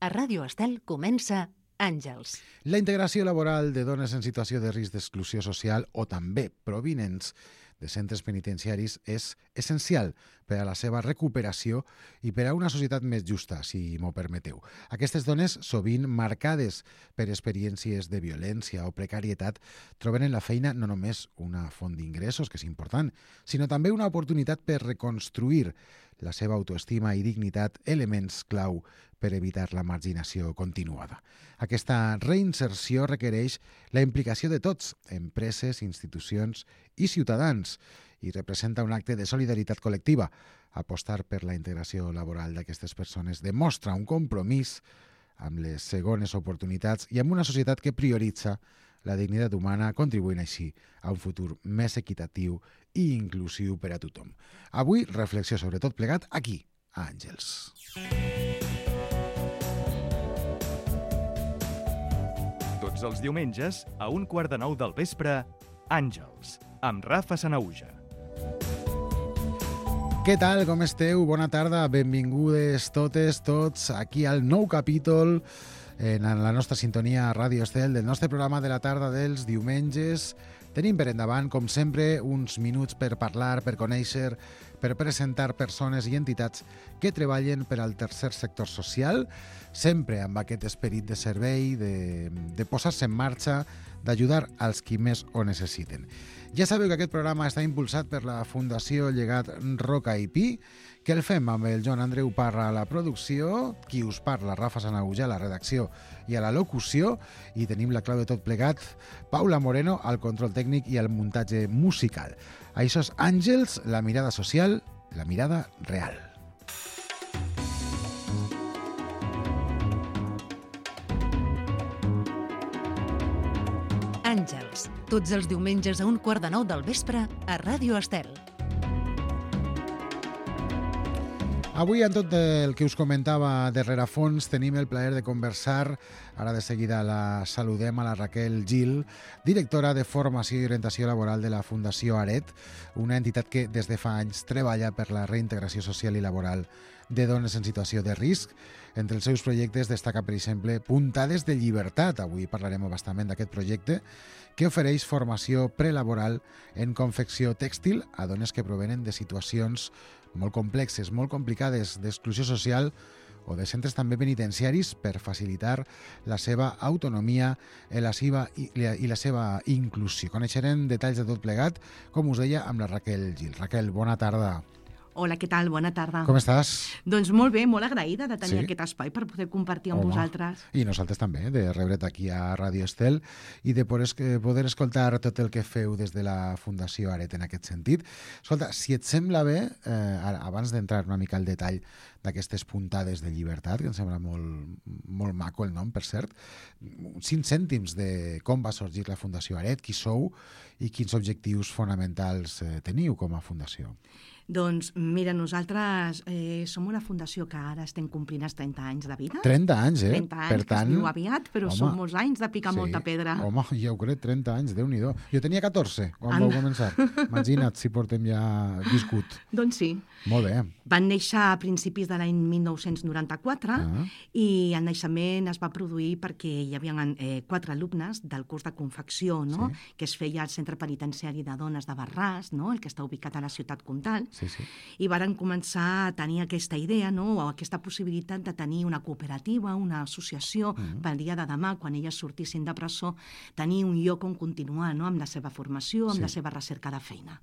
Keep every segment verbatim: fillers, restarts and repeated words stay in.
A Ràdio Estel comença Àngels. La integració laboral de dones en situació de risc d'exclusió social o també provinents de centres penitenciaris és essencial per a la seva recuperació i per a una societat més justa, si m'ho permeteu. Aquestes dones, sovint marcades per experiències de violència o precarietat, troben en la feina no només una font d'ingressos, que és important, sinó també una oportunitat per reconstruir la seva autoestima i dignitat, elements clau per evitar la marginació continuada. Aquesta reinserció requereix la implicació de tots, empreses, institucions i ciutadans, i representa un acte de solidaritat col·lectiva. Apostar per la integració laboral d'aquestes persones demostra un compromís amb les segones oportunitats i amb una societat que prioritza la dignitat humana, contribuint així a un futur més equitatiu i inclusiu per a tothom. Avui, reflexió sobre tot plegat aquí, a Àngels. Tots els diumenges, a un quart de nou del vespre, Àngels, amb Rafa Sanahuja. Què tal, com esteu? Bona tarda, benvingudes totes, tots, aquí al nou capítol en la nostra sintonia a Ràdio Estel del nostre programa de la tarda dels diumenges. Tenim per endavant, com sempre, uns minuts per parlar, per conèixer, per presentar persones i entitats que treballen per al tercer sector social, sempre amb aquest esperit de servei, de, de posar-se en marxa, d'ajudar als qui més ho necessiten. Ja sabeu que aquest programa està impulsat per la Fundació Llegat Roca i Pi, que el fem amb el Joan Andreu Parra a la producció, qui us parla, Rafa Sanahuja, a la redacció i a la locució, i tenim la clau de tot plegat, Paula Moreno, al control tècnic i al muntatge musical. Això és Àngels, la mirada social, la mirada real. Àngels, tots els diumenges a un quart de nou del vespre a Ràdio Estel. Avui, en tot el que us comentava de rerefons, tenim el plaer de conversar. Ara de seguida la saludem a la Raquel Gil, directora de Formació i Orientació Laboral de la Fundació Aret, una entitat que des de fa anys treballa per la reintegració social i laboral de dones en situació de risc. Entre els seus projectes destaca, per exemple, Puntades de Llibertat. Avui parlarem bastament d'aquest projecte, que ofereix formació prelaboral en confecció tèxtil a dones que provenen de situacions molt complexes, molt complicades d'exclusió social o de centres també penitenciaris per facilitar la seva autonomia i la seva, i la seva inclusió. Coneixerem detalls de tot plegat, com us deia, amb la Raquel Gil. Raquel, bona tarda. Hola, què tal? Bona tarda. Com estàs? Doncs molt bé, molt agraïda de tenir sí? aquest espai per poder compartir amb Home. vosaltres. I nosaltres també, de rebre't aquí a Ràdio Estel i de poder, poder escoltar tot el que feu des de la Fundació Aret en aquest sentit. Escolta, si et sembla bé, eh, abans d'entrar una mica al detall d'aquestes puntades de llibertat, que em sembla molt, molt maco el nom, per cert, cinc cèntims de com va sorgir la Fundació Aret, qui sou i quins objectius fonamentals eh, teniu com a fundació. Doncs mira, nosaltres eh, som una fundació que ara estem complint els trenta anys de vida. trenta anys, eh? trenta anys, per tant, que es diu aviat, però home, són molts anys de picar sí, molta pedra. Home, ja ho crec, trenta anys, Déu-n'hi-do. Jo tenia catorze quan Anda. vau començar. Imagina't si portem ja viscut. Doncs sí. Molt bé. Van néixer a principis de l'any mil nou-cents noranta-quatre Ah. i el naixement es va produir perquè hi havia eh, quatre alumnes del curs de confecció, no? Sí. que es feia al Centre Penitenciari de Dones de Barràs, no? el que està ubicat a la ciutat comtal, Sí, sí. i varen començar a tenir aquesta idea, no? o aquesta possibilitat de tenir una cooperativa, una associació, Mm. pel dia de demà, quan elles sortissin de presó, tenir un lloc on continuar, no? amb la seva formació, amb Sí. la seva recerca de feina.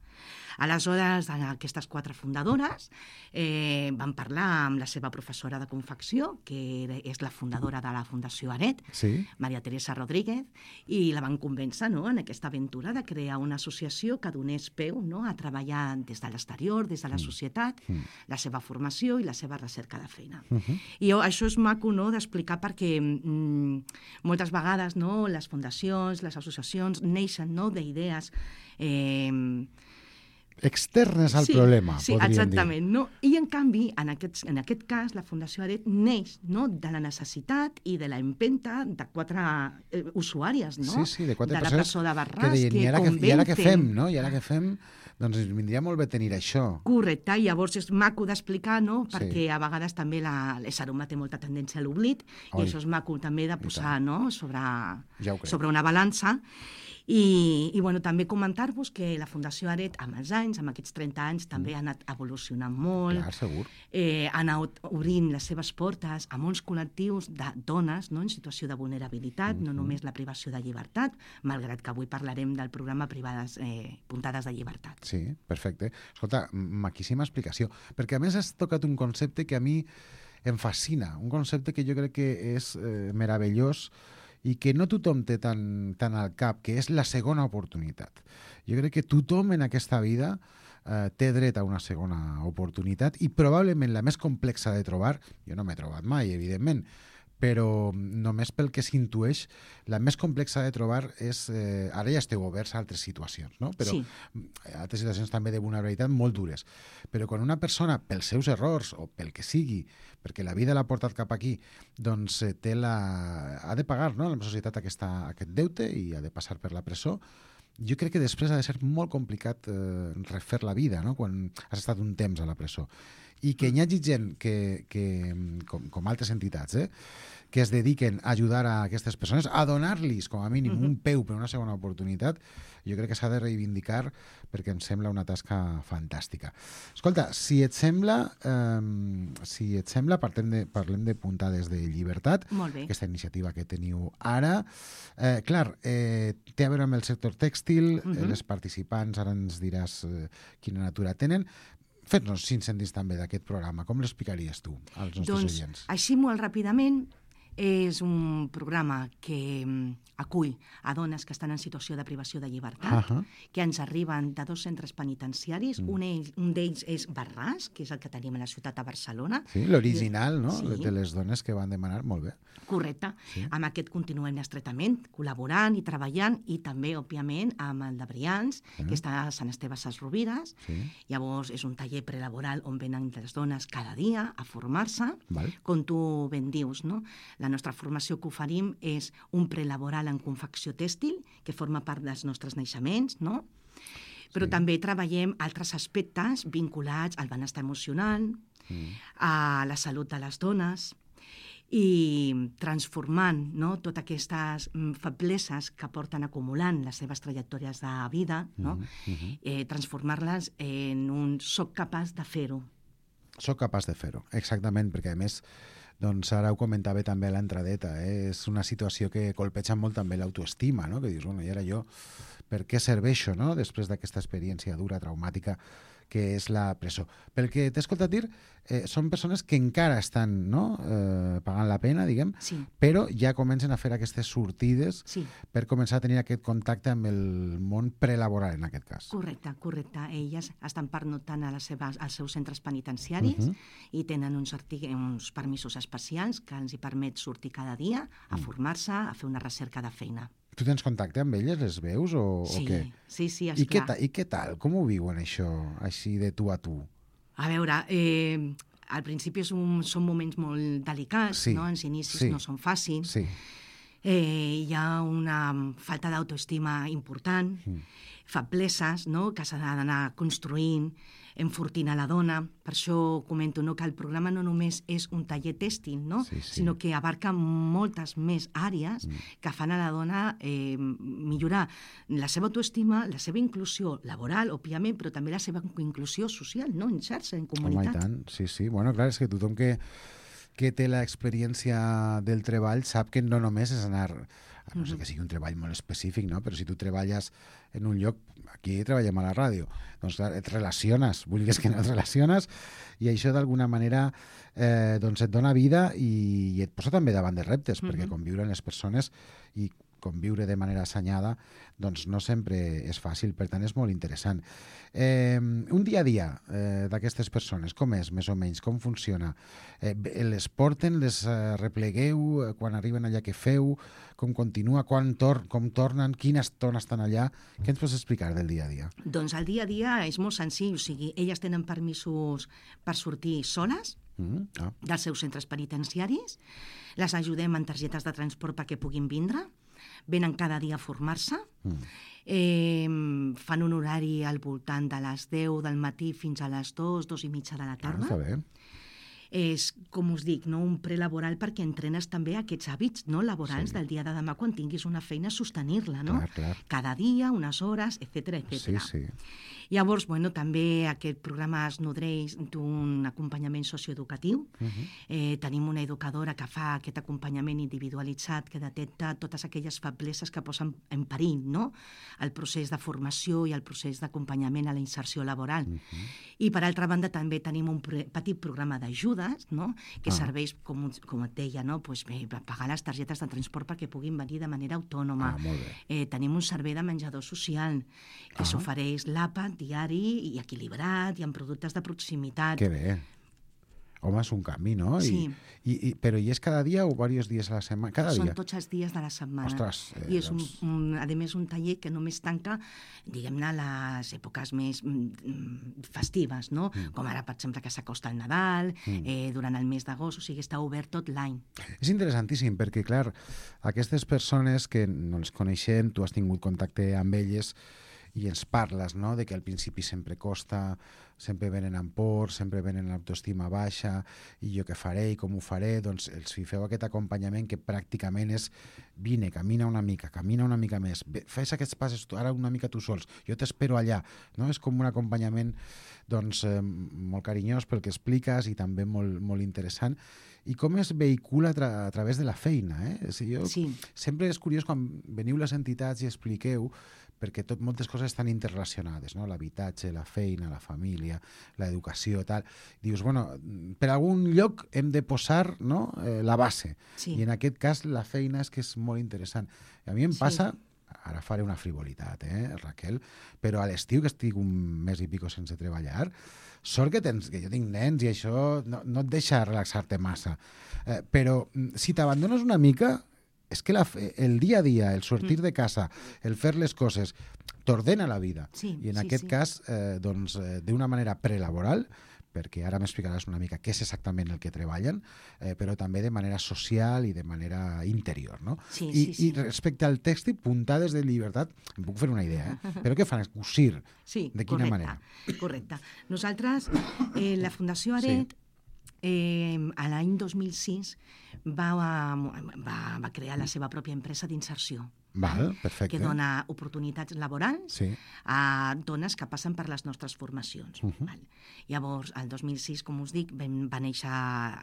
Aleshores, aquestes quatre fundadores eh, van parlar amb la seva professora de confecció, que és la fundadora de la Fundació Aret, Sí? Maria Teresa Rodríguez, i la van convèncer, no?, en aquesta aventura de crear una associació que donés peu, no?, a treballar des de l'exterior, des de la societat, Mm. la seva formació i la seva recerca de feina. Uh -huh. I jo, això és maco, no?, d'explicar perquè mm, moltes vegades, no?, les fundacions, les associacions neixen, no?, d'idees eh, externes al sí, problema, sí, podríem exactament, dir. no? I en canvi, en aquest, en aquest cas, la Fundació Aret neix, no?, de la necessitat i de la empenta de quatre eh, usuàries, no? Sí, sí, de quatre de la persones presó de que Barràs, deien, que, i ara, que, i ara què convencen. fem, no? I ara què fem? Doncs ens vindria molt bé tenir això. Correcte, i llavors és maco d'explicar, no?, Sí. perquè a vegades també la, l'ésser humà té molta tendència a l'oblit, Oi. i això és maco també de posar, no?, sobre, Ja ho crec. sobre una balança. I, i bueno, també comentar-vos que la Fundació Aret, amb els anys, amb aquests trenta anys, també ha anat evolucionant molt, Clar, segur. eh, ha anat obrint les seves portes a molts col·lectius de dones, no?, en situació de vulnerabilitat, no només la privació de llibertat, malgrat que avui parlarem del programa Privades eh, Puntades de Llibertat. Sí, perfecte. Escolta, maquíssima explicació, perquè a més has tocat un concepte que a mi em fascina, un concepte que jo crec que és eh, meravellós i que no tothom té tan, tan al cap, que és la segona oportunitat. Jo crec que tothom en aquesta vida eh, té dret a una segona oportunitat i probablement la més complexa de trobar, jo no m'he trobat mai, evidentment, però només pel que s'intueix, la més complexa de trobar és... Eh, ara ja esteu oberts a altres situacions, no? Però Sí. altres situacions també de vulnerabilitat molt dures. Però quan una persona, pels seus errors o pel que sigui, perquè la vida l'ha portat cap aquí, doncs eh, té la... ha de pagar, no?, a la societat aquesta, aquest deute i ha de passar per la presó, jo crec que després ha de ser molt complicat eh, refer la vida, no?, quan has estat un temps a la presó. I que hi hagi gent que, que com, com altres entitats, eh, que es dediquen a ajudar a aquestes persones, a donar-los, com a mínim, un peu per una segona oportunitat, jo crec que s'ha de reivindicar perquè em sembla una tasca fantàstica. Escolta, si et sembla, eh, si et sembla parlem de, parlem de Puntades de Llibertat, Molt bé. aquesta iniciativa que teniu ara. Eh, clar, eh, té a veure amb el sector tèxtil, uh-huh. eh, les participants, ara ens diràs eh, quina natura tenen. Fes-nos cinc cèntims també d'aquest programa. Com l'explicaries tu als nostres Doncs, oients? així molt ràpidament, és un programa que mm, acull a dones que estan en situació de privació de llibertat, Ahà. que ens arriben de dos centres penitenciaris. Mm. Un, ell- un d'ells és Barràs, que és el que tenim a la ciutat de Barcelona. Sí, l'original, no? Sí. De les dones que van demanar. Molt bé. Correcte. Sí. Amb aquest continuem estretament, col·laborant i treballant, i també, òbviament, amb el de Brians, Sí. que està a Sant Esteve Sesrovires. Sí. Llavors, és un taller prelaboral on venen les dones cada dia a formar-se. Val. Com tu ben dius, no? La nostra formació que oferim és un prelaboral en confecció tèxtil, que forma part dels nostres naixements, no? Però Sí. també treballem altres aspectes vinculats al benestar emocional, Mm. a la salut de les dones, i transformant, no?, totes aquestes mm, febleses que porten acumulant les seves trajectòries de vida, no? Mhm, mhm. eh, transformar-les en un soc capaç de fer-ho. Soc capaç de fer-ho, exactament, perquè a més, doncs ara ho comentava també a l'entradeta, eh? És una situació que colpeja molt també l'autoestima, no? Que dius, bueno, i ara jo, per què serveixo, no?, després d'aquesta experiència dura, traumàtica, que és la presó. Pel que t'he escoltat dir, eh, són persones que encara estan, no?, eh, pagant la pena, diguem, Sí, però ja comencen a fer aquestes sortides sí. per començar a tenir aquest contacte amb el món prelaboral, en aquest cas. Correcte, correcte. Elles estan pernoctant a les seves, als seus centres penitenciaris Mhm. i tenen uns, artic- uns permisos especials que els hi permet sortir cada dia a Mm. formar-se, a fer una recerca de feina. Tu tens contacte amb elles, les veus o, Sí, o què? sí, sí, I què, esclar. ta, I què tal? Com ho viuen això, així de tu a tu? A veure, eh, al principi és un, són moments molt delicats, Sí, no? Els inicis sí. no són fàcils. Sí. Eh, hi ha una falta d'autoestima important, Mm. febleses, no?, que s'ha d'anar construint, enfortint a la dona. Per això comento, no?, que el programa no només és un taller tèxtil, no?, Sí, sí. sinó que abarca moltes més àrees Mm. que fan a la dona eh, millorar la seva autoestima, la seva inclusió laboral, òbviament, però també la seva inclusió social, no?, en xarxa, en Home, i comunitat. tant, sí, sí. Bueno, clar, és que tothom que, que té l'experiència del treball sap que no només és anar, a no sé que sigui un treball molt específic, no? Però si tu treballes en un lloc, aquí treballem a la ràdio, doncs clar, et relaciones, vulguis que no et relaciones, i això d'alguna manera eh, doncs et dona vida i, i et posa també davant de reptes, perquè Mhm. conviure amb les persones i conviure de manera assenyada, doncs no sempre és fàcil, per tant és molt interessant. Eh, un dia a dia eh, d'aquestes persones, com és, més o menys, com funciona? Eh, les porten, les eh, replegueu, eh, quan arriben allà què feu, com continua, quan tor com tornen, quina estona estan allà? Què ens pots explicar del dia a dia? Doncs el dia a dia és molt senzill, o sigui, elles tenen permisos per sortir soles, Mm, ah. dels seus centres penitenciaris, les ajudem en targetes de transport perquè puguin vindre, venen cada dia a formar-se, Mm. eh, fan un horari al voltant de les deu del matí fins a les dues, dues i mitja de la Ah, tarda. està bé. És, com us dic, no, un prelaboral perquè entrenes també aquests hàbits no, laborals Sí. del dia de demà quan tinguis una feina, sostenir-la, no? Clar, clar. Cada dia, unes hores, etcètera, Sí, etcètera. sí. Llavors, bueno, també aquest programa es nodreix d'un acompanyament socioeducatiu. Uh -huh. Eh, tenim una educadora que fa aquest acompanyament individualitzat que detecta totes aquelles febleses que posen en perill no? el procés de formació i el procés d'acompanyament a la inserció laboral. Uh -huh. I, per altra banda, també tenim un pre- petit programa d'ajudes no? que Ah. serveix, com, com et deia, no? pues, bé, per pagar les targetes de transport perquè puguin venir de manera autònoma. Ah, molt bé. Eh, tenim un servei de menjador social que Ah. s'ofereix l'àpat diari i equilibrat i amb productes de proximitat. Que bé. Home, és un canvi, no? Sí. I, i, i, però i és cada dia o diversos dies a la setmana? Cada Són dia? tots els dies de la setmana. Ostres, eh, I és, doncs- un, un, a més, un taller que només tanca, diguem-ne, les èpoques més mm, festives, no? Mm. Com ara, per exemple, que s'acosta el Nadal, mm. eh, durant el mes d'agost, o sigui, està obert tot l'any. És interessantíssim perquè, clar, aquestes persones que no les coneixem, tu has tingut contacte amb elles i ens parles, no?, de que al principi sempre costa, sempre venen amb por, sempre venen amb l'autoestima baixa, i jo què faré i com ho faré, doncs els feu aquest acompanyament que pràcticament és vine, camina una mica, camina una mica més, fes aquests passos tu, ara una mica tu sols, jo t'espero allà, no? És com un acompanyament doncs, eh, molt carinyós pel que expliques i també molt, molt interessant. I com es vehicula a, tra a través de la feina, eh? O sigui, jo, Sí. sempre és curiós quan veniu les entitats i expliqueu, perquè tot, moltes coses estan interrelacionades, no? L'habitatge, la feina, la família, l'educació, tal. Dius, bueno, per algun lloc hem de posar, no? eh, la base. Sí. I en aquest cas la feina és que és molt interessant. I a mi em Sí. passa, ara faré una frivolitat, eh, Raquel, però a l'estiu, que estic un mes i pico sense treballar, sort que, tens, que jo tinc nens i això no, no et deixa relaxar-te massa. Eh, però si t'abandones una mica, és que la, el dia a dia, el sortir de casa, el fer les coses, t'ordena la vida. Sí, I en sí, aquest sí. cas, eh, doncs, eh, d'una manera prelaboral, perquè ara m'explicaràs una mica què és exactament el que treballen, eh, però també de manera social i de manera interior, no? Sí, I, sí, sí. I respecte al text i puntades de llibertat, em puc fer una idea, eh? Però què fan? Cosir? Sí, De quina correcte, manera? correcte. Nosaltres, eh, la Fundació Aret, eh, a l'any dos mil sis, va, va, va crear la seva pròpia empresa d'inserció. Val, perfecte. Que dona oportunitats laborals Sí. a dones que passen per les nostres formacions. Uh -huh. Val. Llavors, el dos mil sis, com us dic, vam, va néixer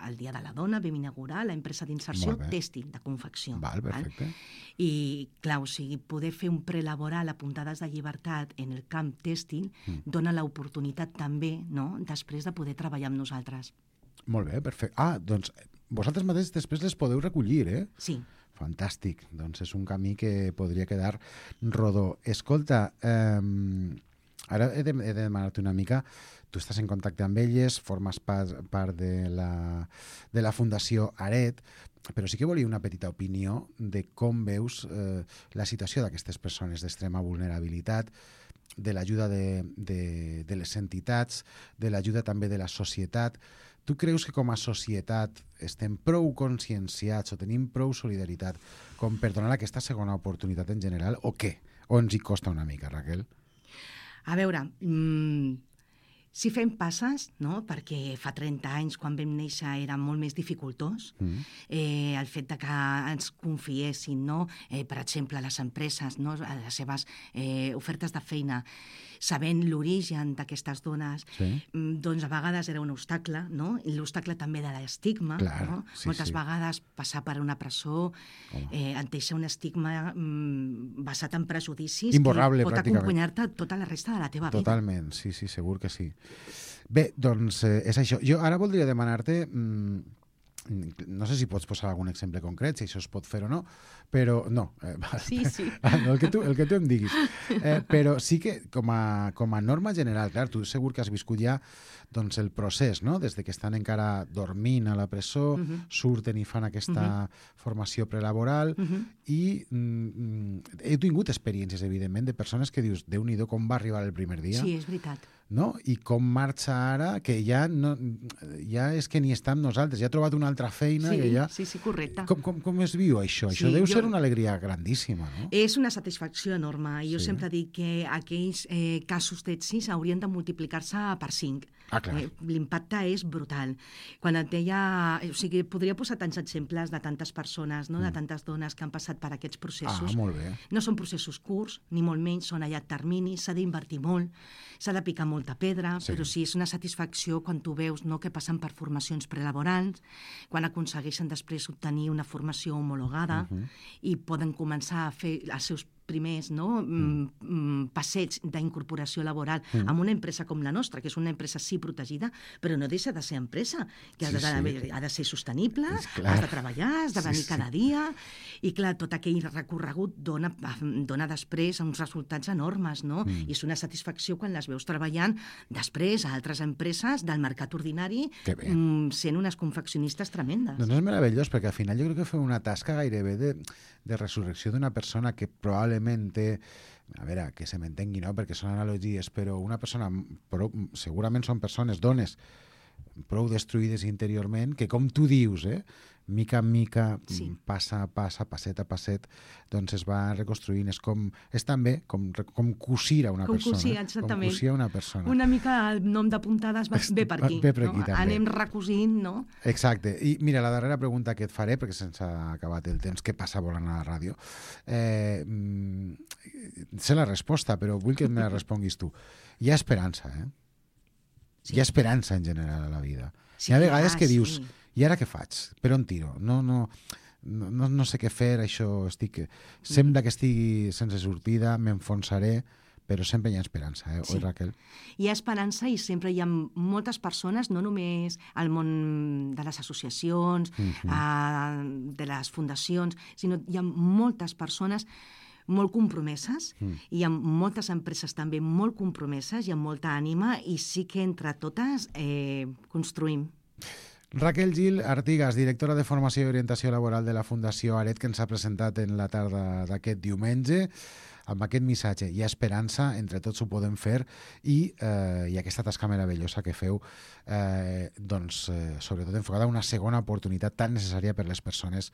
el Dia de la Dona, vam inaugurar l'empresa d'inserció Molt bé. tèxtil, de confecció. Val, perfecte. I, clar, o sigui, poder fer un prelaboral a puntades de llibertat en el camp tèxtil mm. dona l'oportunitat també, no?, després de poder treballar amb nosaltres. Molt bé, perfecte. Ah, doncs vosaltres mateix després les podeu recollir, eh? Sí. Fantàstic. Doncs és un camí que podria quedar rodó. Escolta, eh, ara he de, he de demanar-te una mica, tu estàs en contacte amb elles, formes part, part de, la, de la Fundació Aret, però sí que volia una petita opinió de com veus eh, la situació d'aquestes persones d'extrema vulnerabilitat, de l'ajuda de, de, de les entitats, de l'ajuda també de la societat. Tu creus que com a societat estem prou conscienciats o tenim prou solidaritat com per donar aquesta segona oportunitat en general o què? O ens hi costa una mica, Raquel? A veure, mmm, si fem passes, no?, perquè fa trenta anys, quan vam néixer, era molt més dificultós, mm. eh, el fet de que ens confiessin, no?, eh, per exemple, les empreses, no?, les seves eh, ofertes de feina, sabent l'origen d'aquestes dones, sí. doncs a vegades era un obstacle, no?, i l'obstacle també de l'estigma, Clar, no? sí, Moltes sí. vegades passar per una presó eh, et deixa un estigma mm, basat en prejudicis Imborrable, que pot pràcticament. acompanyar-te tota la resta de la teva vida. Totalment, sí, sí, segur que sí. Bé, doncs eh, és això. Jo ara voldria demanar-te, mmm, no sé si pots posar algun exemple concret, si això es pot fer o no, però no. Eh, sí, sí. El que tu, el que tu em diguis. Eh, però sí que, com a, com a norma general, clar, tu segur que has viscut ja doncs, el procés, no? Des de que estan encara dormint a la presó, uh -huh. surten i fan aquesta uh -huh. formació prelaboral, uh -huh. i mm, he tingut experiències, evidentment, de persones que dius, Déu-n'hi-do, com va arribar el primer dia. Sí, és veritat. No? I com marxa ara, que ja no, ja és que ni està amb nosaltres, ja ha trobat una altra feina. Sí, que ja... sí, sí, correcte. Com, com, com es viu això? Sí, això deu jo... ser una alegria grandíssima, no? És una satisfacció enorme. Jo sí. sempre dic que aquells eh, casos d'èxits haurien de multiplicar-se per cinc. Ah, clar. Eh, l'impacte és brutal. Quan et deia... O sigui, podria posar tants exemples de tantes persones, no? de tantes dones que han passat per aquests processos. Ah, molt bé. No són processos curts, ni molt menys, són a llarg termini, s'ha d'invertir molt, s'ha de picar molta pedra, sí. però sí, és una satisfacció quan tu veus, no?, que passen per formacions prelaborals, quan aconsegueixen després obtenir una formació homologada uh-huh. i poden començar a fer els seus primers no, mm. passeigs d'incorporació laboral mm. en una empresa com la nostra, que és una empresa sí protegida, però no deixa de ser empresa, que sí, ha, de, sí. ha de ser sostenible, has de treballar, has de venir sí, cada sí. dia, i clar, tot aquell recorregut dona, dona després uns resultats enormes, no? Mm. I és una satisfacció quan les veus treballant després a altres empreses del mercat ordinari, mm, sent unes confeccionistes tremendes. Doncs és meravellós, perquè al final jo crec que feu una tasca gairebé de, de resurrecció d'una persona que probablement té, a veure, que se m'entengui, no?, perquè són analogies, però una persona, però segurament són persones, dones, prou destruïdes interiorment, que com tu dius, eh, mica en mica, sí. passa a passa, passet a passet, doncs es va reconstruint. És com, és també com, com cosir a una com persona. Cosir, exactament. Com cosir a una persona. Una mica el nom de puntades va, ve per aquí. Ve per aquí, no? també. Anem recosint, no? Exacte. I mira, la darrera pregunta que et faré, perquè se'ns ha acabat el temps, que passa volant a la ràdio, eh, sé la resposta, però vull que me la responguis tu. Hi ha esperança, eh? Sí. Hi ha esperança en general a la vida. Sí, hi ha vegades ah, que dius, sí. i ara què faig? Per on tiro? No, no, no, no sé què fer, això estic... Sembla que estigui sense sortida, m'enfonsaré, però sempre hi ha esperança, eh? Sí. Oi, Raquel? Hi ha esperança i sempre hi ha moltes persones, no només al món de les associacions, uh-huh. eh, de les fundacions, sinó hi ha moltes persones molt compromeses, mm. i hi ha moltes empreses també molt compromeses i amb molta ànima, i sí que entre totes eh, construïm. Raquel Gil Artigas, directora de Formació i Orientació Laboral de la Fundació Aret, que ens ha presentat en la tarda d'aquest diumenge, amb aquest missatge. Hi ha esperança, entre tots ho podem fer, i, eh, i aquesta tasca meravellosa que feu, eh, doncs, eh, sobretot enfocada a una segona oportunitat tan necessària per les persones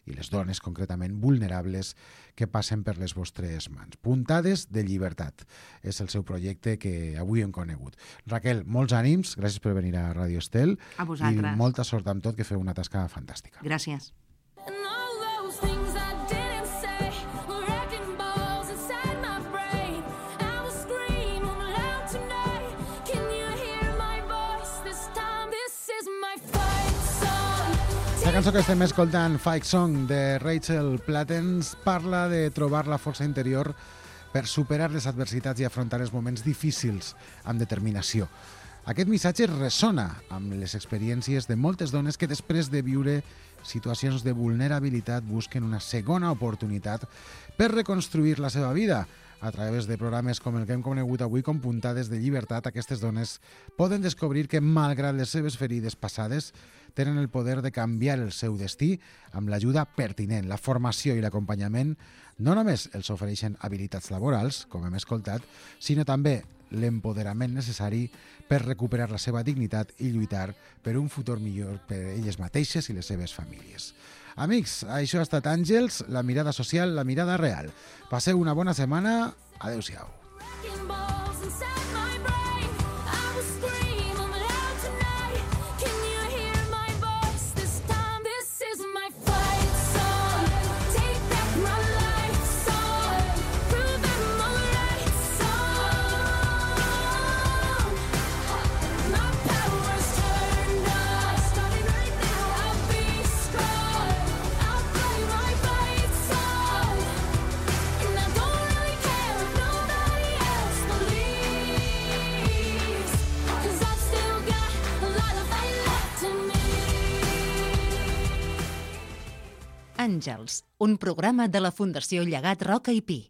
i les dones, concretament, vulnerables, que passen per les vostres mans. Puntades de llibertat és el seu projecte que avui hem conegut. Raquel, molts ànims, gràcies per venir a Radio Estel. A vosaltres. I molta sort amb tot, que feu una tasca fantàstica. Gràcies. La cançó que estem escoltant, Fight Song, de Rachel Plattens, parla de trobar la força interior per superar les adversitats i afrontar els moments difícils amb determinació. Aquest missatge ressona amb les experiències de moltes dones que després de viure situacions de vulnerabilitat busquen una segona oportunitat per reconstruir la seva vida. A través de programes com el que hem conegut avui com Puntades de Llibertat, aquestes dones poden descobrir que, malgrat les seves ferides passades, tenen el poder de canviar el seu destí amb l'ajuda pertinent. La formació i l'acompanyament no només els ofereixen habilitats laborals, com hem escoltat, sinó també l'empoderament necessari per recuperar la seva dignitat i lluitar per un futur millor per elles mateixes i les seves famílies. Amics, això ha estat Àngels, la mirada social, la mirada real. Passeu una bona setmana. Adéu-siau. Àngels, un programa de la Fundació Llegat Roca i Pi.